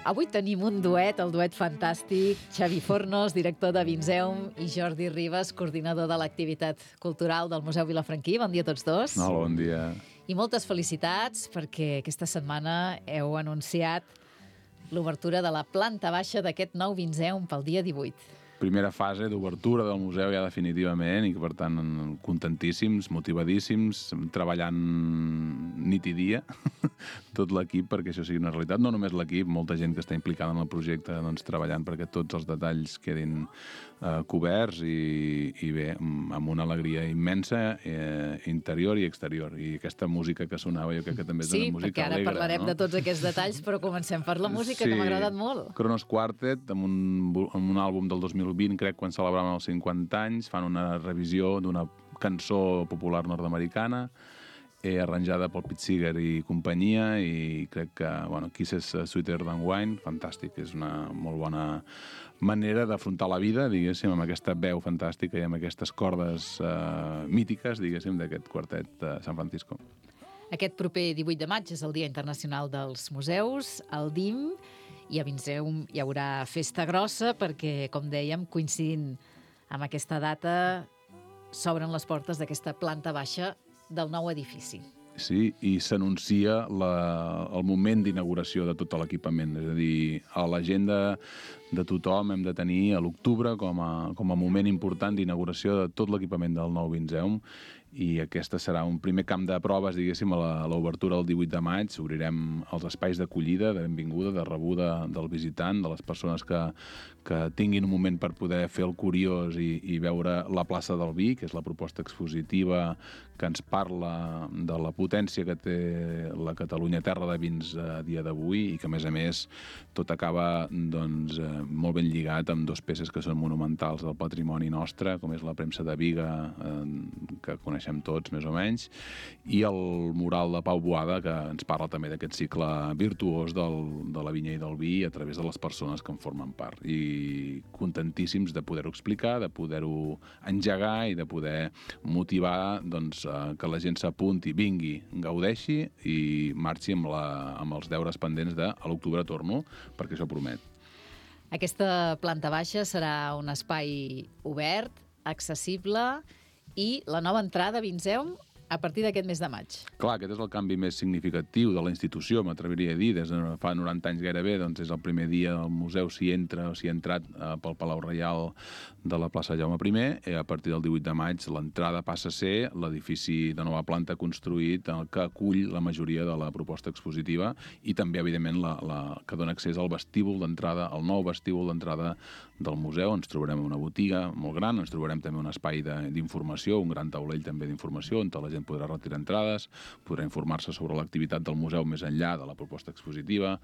Avui tenim un duet, el duet fantàstic, Xavi Fornos, director de Vinzeum, i Jordi Ribas, coordinador de l'activitat cultural del Museu Vilafranquí. Bon dia a tots dos. Hola, bon dia. I moltes felicitats perquè aquesta setmana heu anunciat l'obertura de la planta baixa d'aquest nou Vinzeum pel dia 18. Primera fase d'obertura del museu ja definitivament i que, per tant, contentíssims, motivadíssims, treballant nit i dia, tot l'equip perquè això sigui una realitat. No només l'equip, molta gent que està implicada en el projecte, doncs, treballant perquè tots els detalls quedin coberts i bé, amb una alegria immensa, interior i exterior. I aquesta música que sonava jo crec que també és una música alegre. Sí, perquè ara parlarem de tots aquests detalls, però comencem per la música, que m'ha agradat molt. Kronos Quartet, amb un àlbum del 2020, crec, quan celebraven els 50 anys, fan una revisió d'una cançó popular nord-americana, arranjada pel Pete Seeger i companyia, i crec que, bueno, Kisses Sweeter Than Wine, fantàstic, és una molt bona manera d'afrontar la vida, diguéssim, amb aquesta veu fantàstica i amb aquestes cordes mítiques, diguéssim, d'aquest quartet de San Francisco. Aquest proper 18 de maig és el Dia Internacional dels Museus, el DIM, i a Vinzeum hi haurà festa grossa perquè, com dèiem, coincidint amb aquesta data, s'obren les portes d'aquesta planta baixa del nou edifici. Sí, i s'anuncia el moment d'inauguració de tot l'equipament. És a dir, a l'agenda de tothom hem de tenir a l'octubre com a moment important d'inauguració de tot l'equipament del nou Vinzeum, i aquesta serà un primer camp de proves, diguéssim, a l'obertura del 18 de maig. Obrirem els espais d'acollida, de benvinguda, de rebuda del visitant, de les persones que tinguin un moment per poder fer el curiós i veure la plaça del Vi, que és la proposta expositiva que ens parla de la potència que té la Catalunya terra de vins a dia d'avui, i que, a més, tot acaba, doncs, molt ben lligat amb dues peces que són monumentals del patrimoni nostre, com és la premsa de Biga, que coneixem tots, més o menys, i el mural de Pau Boada, que ens parla també d'aquest cicle virtuós de la vinya i del vi a través de les persones que en formen part. I contentíssims de poder-ho explicar, de poder-ho engegar i de poder motivar, doncs, que la gent s'apunti, vingui, gaudeixi i marxi amb els deures pendents de a l'octubre torno, perquè això promet. Aquesta planta baixa serà un espai obert, accessible, i la nova entrada a Vinzeum a partir d'aquest mes de maig. Clar, aquest és el canvi més significatiu de la institució, m'atreviria a dir. Des de fa 90 anys gairebé, doncs és el primer dia del museu, s'hi entra o s'hi ha entrat pel Palau Reial de la plaça Jaume I, i a partir del 18 de maig l'entrada passa a ser l'edifici de nova planta construït que acull la majoria de la proposta expositiva i també, evidentment, que dona accés al vestíbul d'entrada, al nou vestíbul d'entrada del museu. Ens trobarem una botiga molt gran, ens trobarem també un espai d'informació, un gran taulell també d'informació, on la gent podrà retirar entrades, podrà informar-se sobre l'activitat del museu més enllà de la proposta expositiva.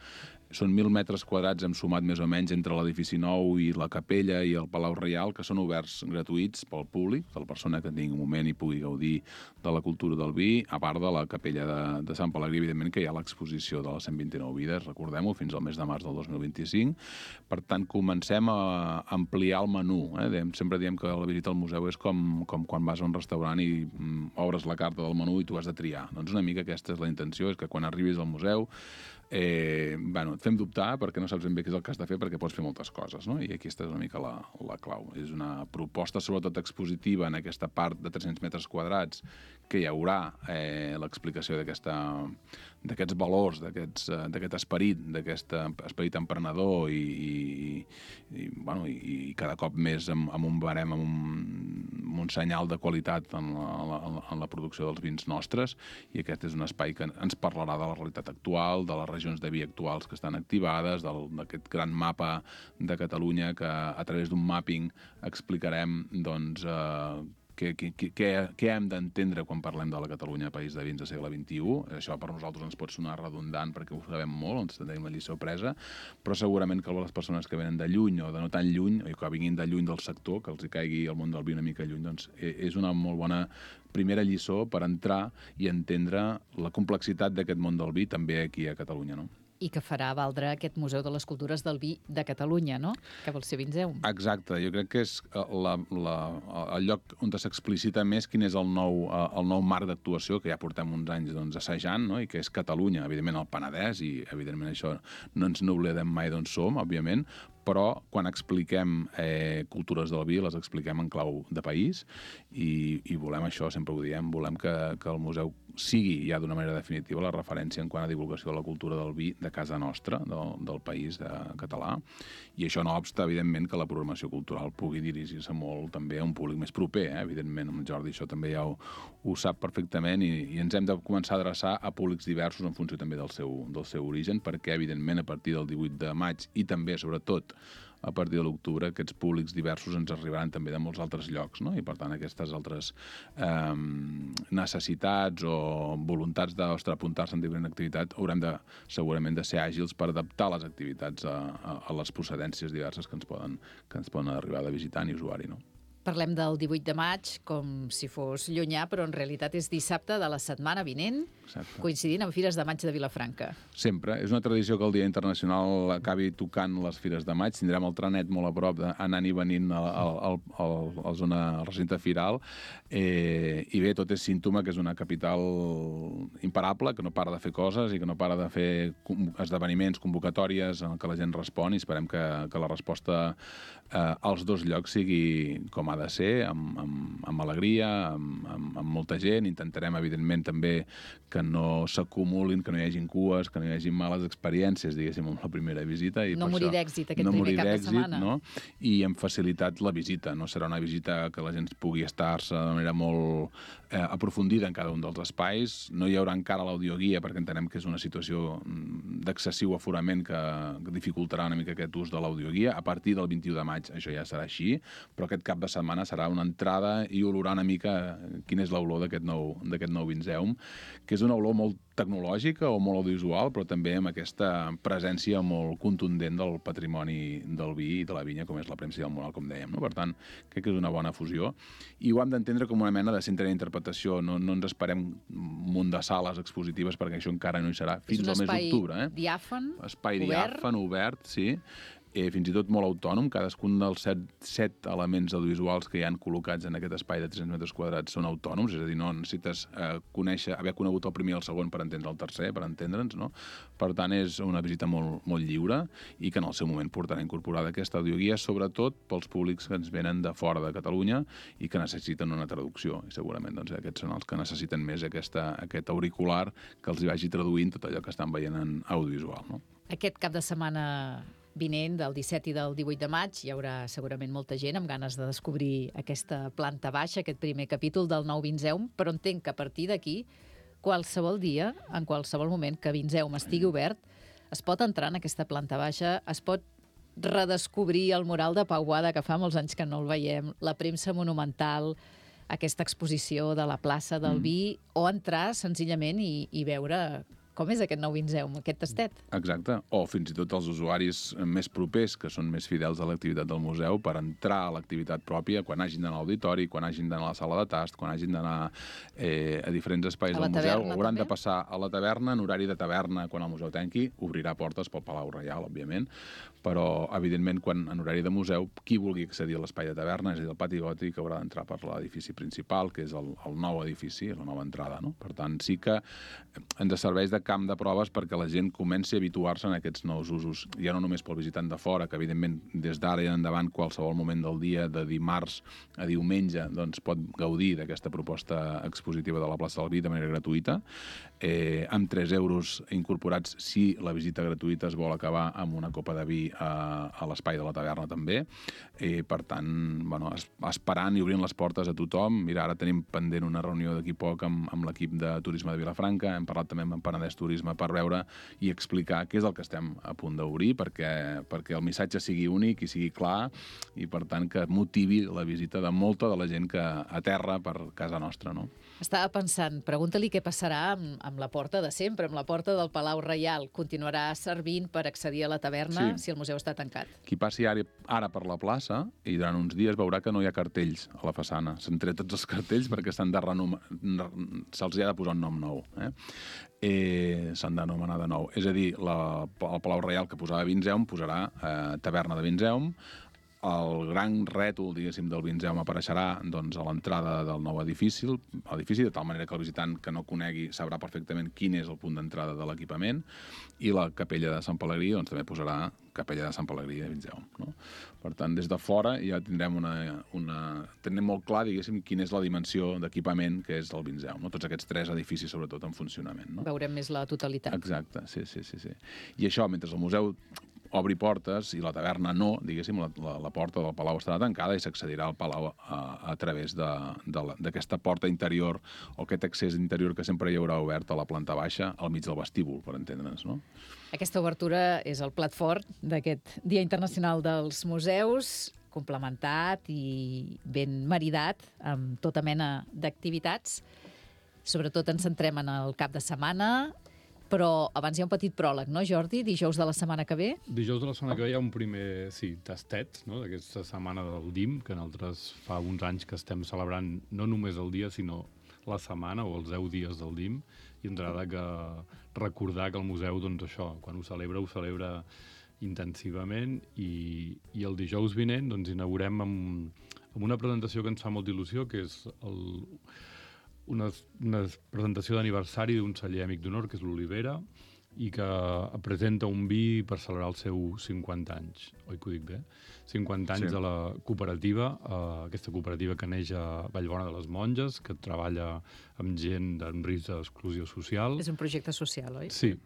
Són 1.000 metres quadrats, hem sumat més o menys, entre l'edifici nou i la capella i el Palau Reial, que són oberts gratuïts pel públic, que la persona que tingui un moment i pugui gaudir de la cultura del vi, a part de la capella de Sant Pelegrí, evidentment, que hi ha l'exposició de les 129 vides, recordem-ho, fins al mes de març del 2025. Per tant, comencem a ampliar el menú. Sempre diem que la visita al museu és com quan vas a un restaurant i obres la carta del menú i tu has de triar. Doncs una mica aquesta és la intenció, és que quan arribis al museu et fem dubtar perquè no saps ben bé què és el que has de fer, perquè pots fer moltes coses, no? I aquesta és una mica la clau. És una proposta sobretot expositiva en aquesta part de 300 metres quadrats que hi haurà l'explicació d'aquests valors, d'aquest esperit, d'aquest esperit emprenedor i cada cop més amb un barem, amb un senyal de qualitat en la producció dels vins nostres, i aquest és un espai que ens parlarà de la realitat actual, de les regions de vi actuals que estan activades, d'aquest gran mapa de Catalunya que a través d'un mapping explicarem, doncs, què hem d'entendre quan parlem de la Catalunya país de vins del segle XXI. Això per nosaltres ens pot sonar redundant perquè ho sabem molt, ens tenim la lliçó presa, però segurament que les persones que venen de lluny o de no tan lluny, o que vinguin de lluny del sector, que els hi caigui el món del vi una mica lluny, doncs és una molt bona primera lliçó per entrar i entendre la complexitat d'aquest món del vi també aquí a Catalunya, no? i que farà valdre aquest Museu de les Cultures del Vi de Catalunya, no? Que vol ser Vinzeum. Exacte, jo crec que és el lloc on s'explicita més quin és el nou marc d'actuació que ja portem uns anys assajant, no? I que és Catalunya, evidentment el Penedès, i evidentment això no ens n'oblidem mai d'on som, òbviament, però quan expliquem cultures del vi les expliquem en clau de país i volem això, sempre ho diem, volem que el museu sigui ja d'una manera definitiva la referència en quant a divulgació de la cultura del vi de casa nostra, del país català, i això no obsta, evidentment, que la programació cultural pugui dirigir-se molt també a un públic més proper, evidentment, amb Jordi això també ja ho sap perfectament i ens hem de començar a adreçar a públics diversos en funció també del seu origen, perquè, evidentment, a partir del 18 de maig i també, sobretot, a partir de l'octubre, aquests públics diversos ens arribaran també de molts altres llocs, no? I, per tant, aquestes altres necessitats o voluntats d'apuntar-se en diferent activitat haurem segurament de ser àgils per adaptar les activitats a les procedències diverses que ens poden arribar de visitant i usuari, no? Parlem del 18 de maig com si fos llunyà, però en realitat és dissabte de la setmana vinent, Exacte. Coincidint amb Fires de Maig de Vilafranca. Sempre. És una tradició que el Dia Internacional acabi tocant les Fires de Maig. Tindrem el trenet molt a prop, anant i venint a la zona, al recinte firal. I bé, tot és símptoma que és una capital imparable, que no para de fer coses i que no para de fer esdeveniments, convocatòries en què la gent respon, i esperem que la resposta als dos llocs sigui com ha de ser, amb alegria, amb molta gent. Intentarem, evidentment, també que no s'acumulin, que no hi hagin cues, que no hi hagin males experiències, diguéssim, amb la primera visita. I no morir d'èxit aquest primer cap de setmana. No? I hem facilitat la visita. No serà una visita que la gent pugui estar-se de manera molt aprofundida en cada un dels espais. No hi haurà encara l'audioguia, perquè entenem que és una situació d'excessiu aforament que dificultarà una mica aquest ús de l'audioguia. A partir del 21 de maig això ja serà així, però aquest cap de setmana serà una entrada i olorar una mica quina és l'olor d'aquest nou Vinzeum, que és una olor molt tecnològica o molt audiovisual, però també amb aquesta presència molt contundent del patrimoni del vi i de la vinya, com és la premsa i el moral, com dèiem, no? Per tant, crec que és una bona fusió. I ho hem d'entendre com una mena de centre d'interpretació. No ens esperem un munt de sales expositives, perquè això encara no hi serà fins al mes d'octubre. És un espai diàfan, espai diàfan, obert, sí. Fins i tot molt autònom. Cadascun dels set elements audiovisuals que hi han col·locats en aquest espai de 300 metres quadrats són autònoms, és a dir, no necessites haver conegut el primer i el segon per entendre el tercer, per entendre'ns, no? Per tant, és una visita molt, molt lliure i que en el seu moment portarà incorporada aquesta audioguia, sobretot pels públics que ens venen de fora de Catalunya i que necessiten una traducció. I segurament aquests són els que necessiten més aquest auricular que els hi vagi traduint tot allò que estan veient en audiovisual, no? Aquest cap de setmana vinent, del 17 i del 18 de maig, hi haurà segurament molta gent amb ganes de descobrir aquesta planta baixa, aquest primer capítol del nou Vinzeum, però entenc que a partir d'aquí, qualsevol dia, en qualsevol moment que Vinzeum estigui obert, es pot entrar en aquesta planta baixa, es pot redescobrir el mural de Pau Boada, que fa molts anys que no el veiem, la premsa monumental, aquesta exposició de la plaça del vi, o entrar senzillament i veure com és aquest nou Vinzeum, aquest tastet. Exacte. O fins i tot els usuaris més propers, que són més fidels a l'activitat del museu, per entrar a l'activitat pròpia quan hagin d'anar a l'auditori, quan hagin d'anar a la sala de tast, quan hagin d'anar a diferents espais del museu. Hauran de passar a la taverna, en horari de taverna, quan el museu tanqui. Obrirà portes pel Palau Reial, òbviament, però, evidentment, quan en horari de museu, qui vulgui accedir a l'espai de taverna, és a dir, el pati gòtic, haurà d'entrar per l'edifici principal, que és el nou edifici, la nova entrada, no? Per tant, sí que ens serveix de camp de proves perquè la gent comenci a habituar-se en aquests nous usos. Ja no només pel visitant de fora, que evidentment des d'ara i endavant qualsevol moment del dia, de dimarts a diumenge, doncs pot gaudir d'aquesta proposta expositiva de la plaça del Vi de manera gratuïta, amb 3 euros incorporats si la visita gratuïta es vol acabar amb una copa de vi a l'espai de la taverna també. Per tant, esperant i obrint les portes a tothom. Mira, ara tenim pendent una reunió d'aquí poc amb l'equip de turisme de Vilafranca, hem parlat també amb Penedès Turisme per veure i explicar què és el que estem a punt d'obrir perquè el missatge sigui únic i sigui clar i, per tant, que motivi la visita de molta de la gent que aterra per casa nostra, no? Estava pensant, pregunta-li què passarà amb la porta de sempre, amb la porta del Palau Reial. Continuarà servint per accedir a la taverna si el museu està tancat? Qui passi ara per la plaça i durant uns dies veurà que no hi ha cartells a la façana. S'han tret tots els cartells perquè se'ls ha de posar un nom nou. s'han d'anomenar de nou. És a dir, el Palau Reial que posava Vinzeum posarà Taverna de Vinzeum. El gran rètol, diguéssim, del Vinzeum apareixerà doncs, a l'entrada del nou edifici, de tal manera que el visitant que no conegui sabrà perfectament quin és el punt d'entrada de l'equipament, i la capella de Sant Pelegrí doncs, també posarà capella de Sant Pelegrí de Vinzeum. No? Per tant, des de fora ja tindrem tenim molt clar, diguéssim, quina és la dimensió d'equipament que és el Vinzeum. No? Tots aquests 3 edificis, sobretot, en funcionament. No? Veurem més la totalitat. Exacte, sí. I això, mentre el museu obri portes i la taverna no, diguéssim, la porta del Palau estarà tancada i s'accedirà al Palau a través d'aquesta porta interior o aquest accés interior que sempre hi haurà obert a la planta baixa, al mig del vestíbul, per entendre'ns, no? Aquesta obertura és el plat fort d'aquest Dia Internacional dels Museus, complementat i ben maridat amb tota mena d'activitats. Sobretot ens centrem en el cap de setmana, però abans hi ha un petit pròleg, no, Jordi? Dijous de la setmana que ve? Dijous de la setmana que ve hi ha un primer, tastet, no?, d'aquesta setmana del DIM, que nosaltres fa uns anys que estem celebrant no només el dia, sinó la setmana o els 10 dies del DIM, i ens agrada recordar que el museu, doncs això, quan ho celebra intensivament, i el dijous vinent doncs, inaugurem amb una presentació que ens fa molta il·lusió, que és una presentació d'aniversari d'un celler amic d'honor, que és l'Olivera, i que presenta un vi per celebrar els seus 50 anys. Oi que ho dic bé? 50 anys de la cooperativa, aquesta cooperativa que neix a Vallbona de les Monges, que treballa amb gent en risc d'exclusió social. És un projecte social, oi? Sí,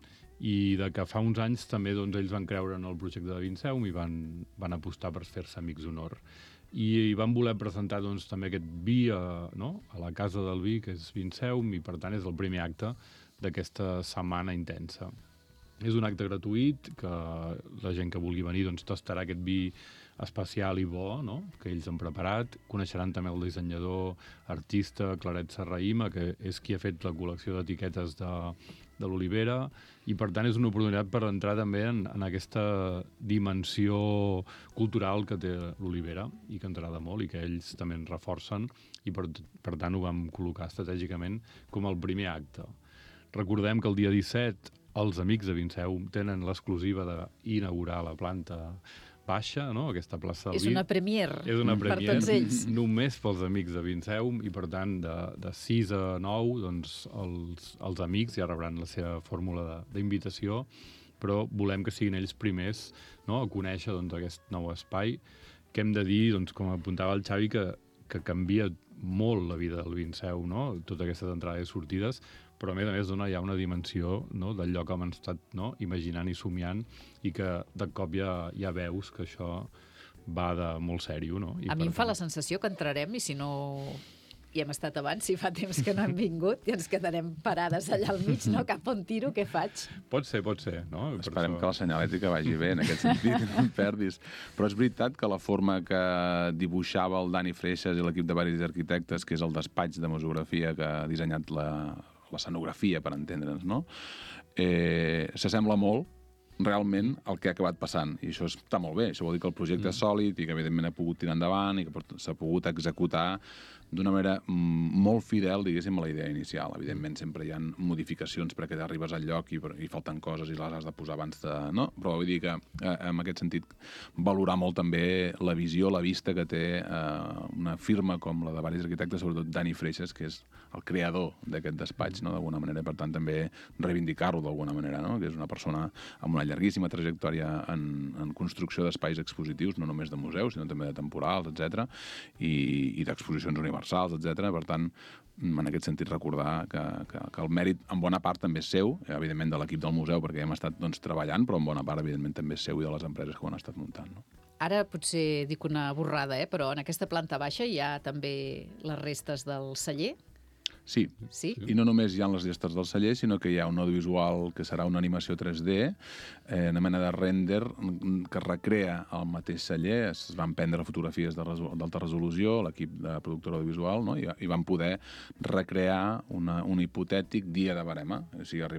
i de que fa uns anys també doncs, ells van creure en el projecte de Vinzeum i van apostar per fer-se amics d'honor. I van voler presentar doncs, també aquest vi a la Casa del Vi, que és Vinzeum, i per tant és el primer acte d'aquesta setmana intensa. És un acte gratuït, que la gent que vulgui venir doncs, tastarà aquest vi especial i bo, no?, que ells han preparat. Coneixeran també el dissenyador artista Claret Serrahima, que és qui ha fet la col·lecció d'etiquetes de l'Olivera, i per tant és una oportunitat per entrar també en aquesta dimensió cultural que té l'Olivera i que ens agrada molt i que ells també ens reforcen, i per tant ho vam col·locar estratègicament com el primer acte. Recordem que el dia 17 els amics de Vinzeum tenen l'exclusiva d'inaugurar la planta baixa, no?, aquesta plaça del Vi. És una premier per tots ells. Només pels amics de Vinzeum, i per tant de 6 a 9 doncs, els amics ja rebran la seva fórmula d'invitació, però volem que siguin ells primers, no?, a conèixer doncs, aquest nou espai, que hem de dir, doncs, com apuntava el Xavi, que canvia molt la vida del Vinzeum, no?, totes aquestes entrades i sortides, però a més dona ja una dimensió, no?, del lloc que hem estat, no?, imaginant i somiant, i que de cop ja veus que això va de molt sèrio, no? A mi em fa la sensació que entrarem, i si no hi hem estat abans, si fa temps que no hem vingut, i ens quedarem parades allà al mig, no? Cap on tiro, què faig? Pot ser, no? Esperem que la senyalètica vagi bé en aquest sentit, no em perdis. Però és veritat que la forma que dibuixava el Dani Freixas i l'equip de varis arquitectes, que és el despatx de museografia que ha dissenyat l'escenografia, per entendre'ns, no?, s'assembla molt realment el que ha acabat passant, i això està molt bé. Això vol dir que el projecte és sòlid i que evidentment ha pogut tirar endavant i que s'ha pogut executar d'una manera molt fidel, diguéssim, a la idea inicial. Evidentment sempre hi ha modificacions perquè arribes al lloc i falten coses i les has de posar abans de... No? Però vull dir que en aquest sentit valorar molt també la visió, la vista que té una firma com la de varis arquitectes, sobretot Dani Freixas, que és el creador d'aquest despatx, no?, d'alguna manera. Per tant, també reivindicar-lo d'alguna manera, no?, que és una persona amb una llarguíssima trajectòria en construcció d'espais expositius, no només de museus, sinó també de temporals, etc., i d'exposicions universals, etc. Per tant, en aquest sentit, recordar que el mèrit en bona part també és seu, evidentment de l'equip del museu, perquè hem estat treballant, però en bona part, evidentment, també és seu i de les empreses que ho han estat muntant. No? Ara potser dic una borrada, però en aquesta planta baixa hi ha també les restes del celler? Sí, i no només hi ha les restes del celler, sinó que hi ha un audiovisual que serà una animació 3D, una mena de render que recrea el mateix celler. Es van prendre fotografies d'alta resolució, l'equip de productora audiovisual, no?, i van poder recrear un hipotètic dia de barema. O sigui,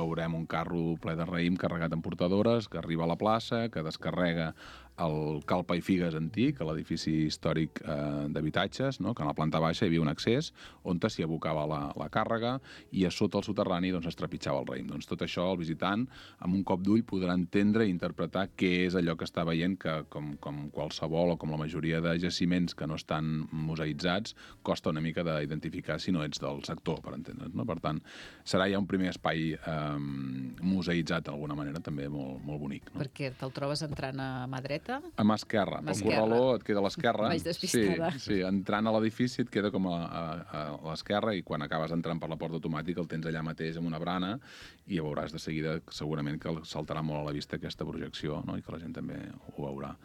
veurem un carro ple de raïm carregat en portadores, que arriba a la plaça, que descarrega el Calpa i Figues antic, a l'edifici històric d'habitatges, no?, que a la planta baixa hi havia un accés on s'hi abocava la càrrega, i a sota el soterrani doncs, es trepitjava el raïm. Doncs tot això el visitant, amb un cop d'ull, podrà entendre i interpretar què és allò que està veient, que com qualsevol o com la majoria de jaciments que no estan museïtzats, costa una mica d'identificar si no ets del sector, per entendre's, no? Per tant, serà ja un primer espai museïtzat d'alguna manera, també molt, molt bonic. No? Perquè te'l trobes entrant a mà dreta? A mà esquerra. El corraló et queda a l'esquerra. Vaig despistada. Sí, entrant a l'edifici et queda com a l'esquerra, i quan acabes entrant per la porta automàtica el tens allà mateix amb una brana, i ja veuràs de seguida segurament que saltarà molt a la vista aquesta projecció, no? I que la gent també ho veurà.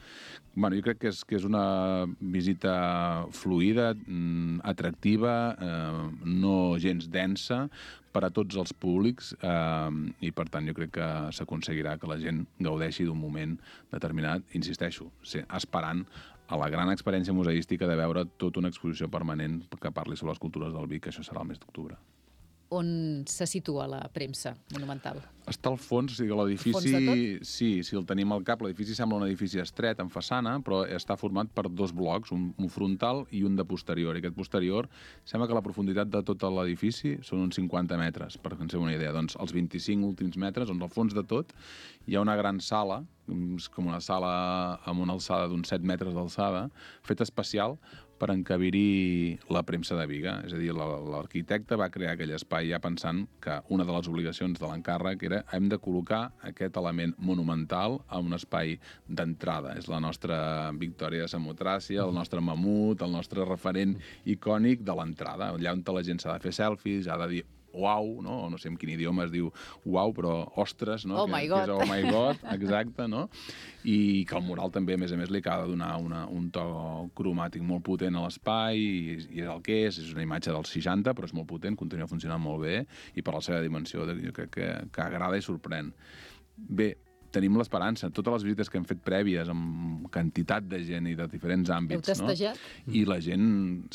Bueno, jo crec que és una visita fluida, atractiva, no gens densa, per a tots els públics, i per tant jo crec que s'aconseguirà que la gent gaudeixi d'un moment determinat, insisteixo, esperant a la gran experiència museística de veure tota una exposició permanent que parli sobre les cultures del vi, que això serà el mes d'octubre. On se situa la premsa monumental? Està al fons, o sigui, l'edifici... Sí, si el tenim al cap, l'edifici sembla un edifici estret, en façana, però està format per dos blocs, un frontal i un de posterior. I aquest posterior, sembla que la profunditat de tot l'edifici són uns 50 metres, per que ens fem una idea. Doncs els 25 últims metres, on al fons de tot hi ha una gran sala, com una sala amb una alçada d'uns 7 metres d'alçada, feta especial per encabir-hi la premsa de Biga. És a dir, l'arquitecte va crear aquell espai ja pensant que una de les obligacions de l'encàrrec era hem de col·locar aquest element monumental a un espai d'entrada. És la nostra Victòria de Samotràcia, el nostre mamut, el nostre referent icònic de l'entrada, allà on la gent s'ha de fer selfies, ha de dir uau, no? No sé en quin idioma es diu uau, però ostres, no? Oh my God. Que és oh my God, exacte, no? I que el mural també, a més li acaba de donar un to cromàtic molt potent a l'espai, i és el que és una imatge dels 60, però és molt potent, continua funcionant molt bé, i per la seva dimensió jo crec que agrada i sorprèn. Bé, tenim l'esperança. Totes les visites que hem fet prèvies amb quantitat de gent i de diferents àmbits, heu testejat? No? I la gent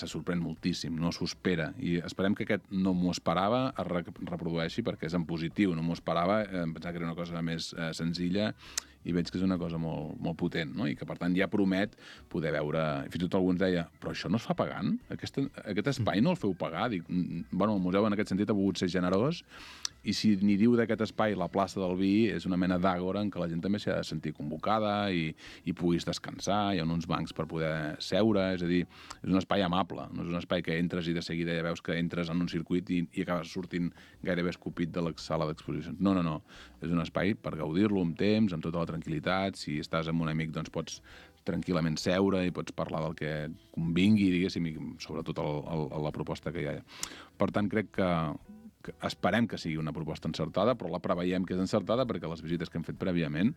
se sorprèn moltíssim, no s'ho espera. I esperem que aquest no m'ho esperava es reprodueixi, perquè és en positiu. No m'ho esperava, em pensava que era una cosa més senzilla, i veig que és una cosa molt, molt potent, no? I que, per tant, ja promet poder veure... Fins i tot algú ens deia, però això no es fa pagant? Aquest espai no el feu pagar? Dic, bueno, el museu en aquest sentit ha volgut ser generós, i si n'hi diu d'aquest espai la plaça del Vi, és una mena d'àgora en què la gent també s'ha de sentir convocada i puguis descansar, hi ha uns bancs per poder seure, és a dir, és un espai amable, no és un espai que entres i de seguida ja veus que entres en un circuit i acabes sortint gairebé escopit de la sala d'exposicions. No, és un espai per gaudir-lo amb temps, amb tota la tranquil·litat. Si estàs amb un amic, doncs pots tranquil·lament seure i pots parlar del que convingui, diguéssim, i sobretot la proposta que hi ha. Per tant, crec que esperem que sigui una proposta encertada, però la preveiem que és encertada perquè les visites que hem fet prèviament,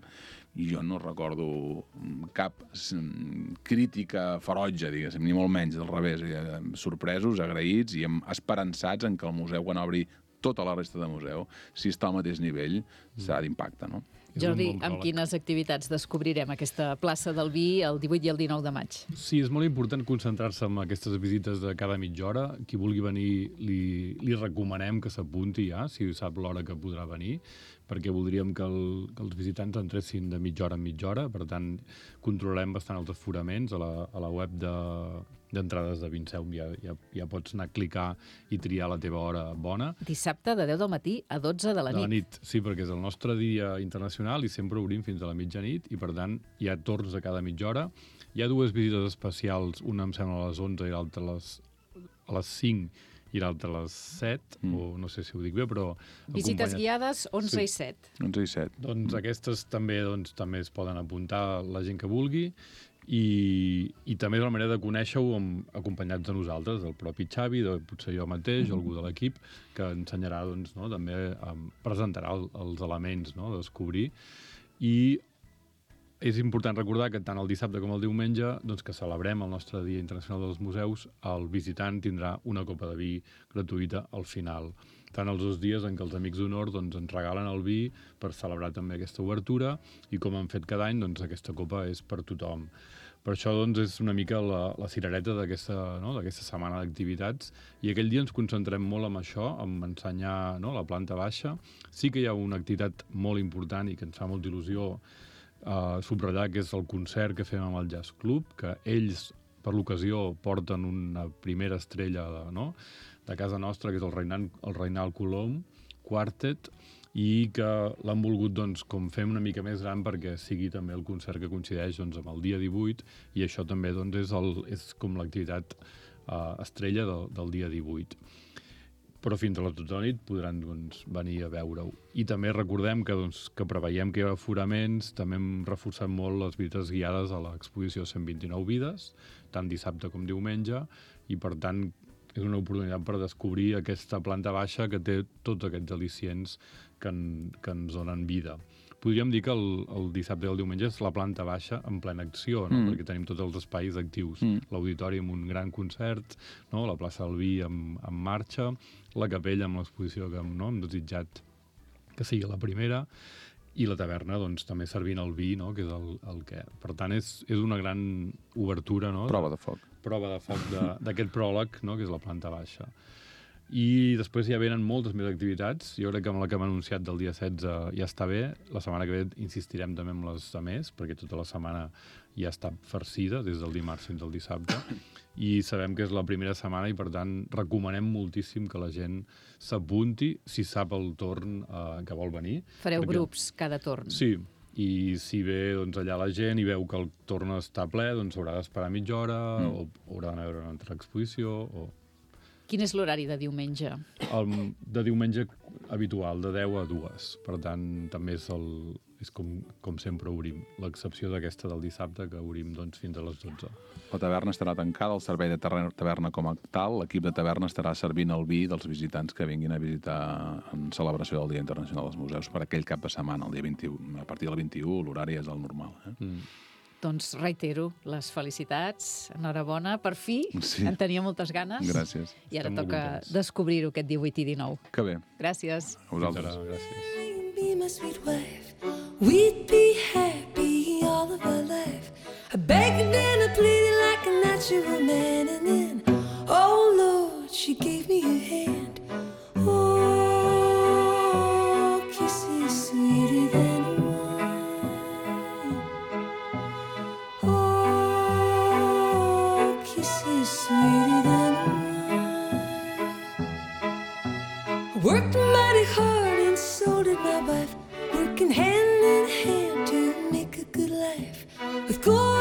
i jo no recordo cap crítica ferotge, diguéssim, ni molt menys, del revés, sorpresos, agraïts i esperançats en que el museu, quan obri tota la resta de museu, si està al mateix nivell, serà d'impacte, no? Jordi, amb quines activitats descobrirem aquesta plaça del Vi el 18 i el 19 de maig? Sí, és molt important concentrar-se en aquestes visites de cada mitja hora. Qui vulgui venir, li recomanem que s'apunti ja, si sap l'hora que podrà venir, perquè voldríem que els visitants entressin de mitja hora en mitja hora. Per tant, controlem bastant els aforaments. A la web d'entrades de Vinceum ja pots anar a clicar i triar la teva hora bona. Dissabte de 10 del matí a 12 de la nit. Sí, perquè és el nostre dia internacional i sempre obrim fins a la mitjanit, i per tant hi ha torns a cada mitja hora. Hi ha dues visites especials, una em sembla a les 11 i l'altra a les 5 i l'altra a les 7, o no sé si ho dic bé, però... Visites guiades 11 i 7. 11 i 7. Doncs aquestes també es poden apuntar la gent que vulgui, i també és la manera de conèixer-ho acompanyats de nosaltres, del propi Xavi, potser jo mateix, o algú de l'equip, que ensenyarà, doncs, no, també presentarà els elements, no, de descobrir. I és important recordar que tant el dissabte com el diumenge, doncs, que celebrem el nostre Dia Internacional dels Museus, el visitant tindrà una copa de vi gratuïta al final. Tant els 2 dies en què els Amics d'Honor ens regalen el vi per celebrar també aquesta obertura, i com han fet cada any, doncs aquesta copa és per tothom. Per això doncs, és una mica la cirereta d'aquesta setmana d'activitats, i aquell dia ens concentrem molt en això, en ensenyar, no, la planta baixa. Sí que hi ha una activitat molt important i que ens fa molta il·lusió subratllar, que és el concert que fem amb el Jazz Club, que ells per l'ocasió porten una primera estrella de casa nostra, que és el Reinald Colom Quartet, i que l'han volgut com fer una mica més gran perquè sigui també el concert que coincideix amb el dia 18, i això també és com l'activitat estrella del dia 18. Però fins a la tota la nit podran venir a veure-ho. I també recordem que preveiem que hi ha aforaments, també hem reforçat molt les visites guiades a l'exposició 129 vides, tant dissabte com diumenge, i per tant és una oportunitat per descobrir aquesta planta baixa que té tots aquests al·licients que ens donen vida. Podríem dir que el dissabte i el diumenge és la planta baixa en plena acció, perquè tenim tots els espais actius. L'auditori amb un gran concert, la plaça del Vi en marxa, la capella amb l'exposició que hem desitjat que sigui la primera, i la taverna també servint el vi, que és el que... Per tant, és una gran obertura. Prova de foc. Prova de foc d'aquest pròleg, que és la planta baixa. I després ja venen moltes més activitats. Jo crec que amb la que hem anunciat del dia 16 ja està bé. La setmana que ve insistirem també amb les de més, perquè tota la setmana ja està farcida, des del dimarts fins al dissabte. I sabem que és la primera setmana i, per tant, recomanem moltíssim que la gent s'apunti si sap el torn que vol venir. Fareu grups cada torn. Sí, i si ve allà la gent i veu que el torn està ple, haurà d'esperar mitja hora o haurà d'anar a veure una altra exposició o... Quin és l'horari de diumenge? De diumenge habitual, de 10 a 2. Per tant, també és com sempre obrim. L'excepció d'aquesta del dissabte, que obrim fins a les 12. La taverna estarà tancada, el servei de taverna com a tal, l'equip de taverna estarà servint el vi dels visitants que vinguin a visitar en celebració del Dia Internacional dels Museus per aquell cap de setmana, el dia 21. A partir del 21 l'horari és el normal. Doncs reitero les felicitats, enhorabona, per fi, en tenia moltes ganes. Gràcies. I ara toca descobrir-ho aquest 18 i 19. Que bé. Gràcies. A vosaltres. Gràcies. We'd be happy all of our life, a begging and a pleading like a natural man, and then, oh Lord, she gave me her hand. Oh, kisses sweeter than sweeter than wine. Worked mighty hard and so did my wife, working hand in hand to make a good life with gold.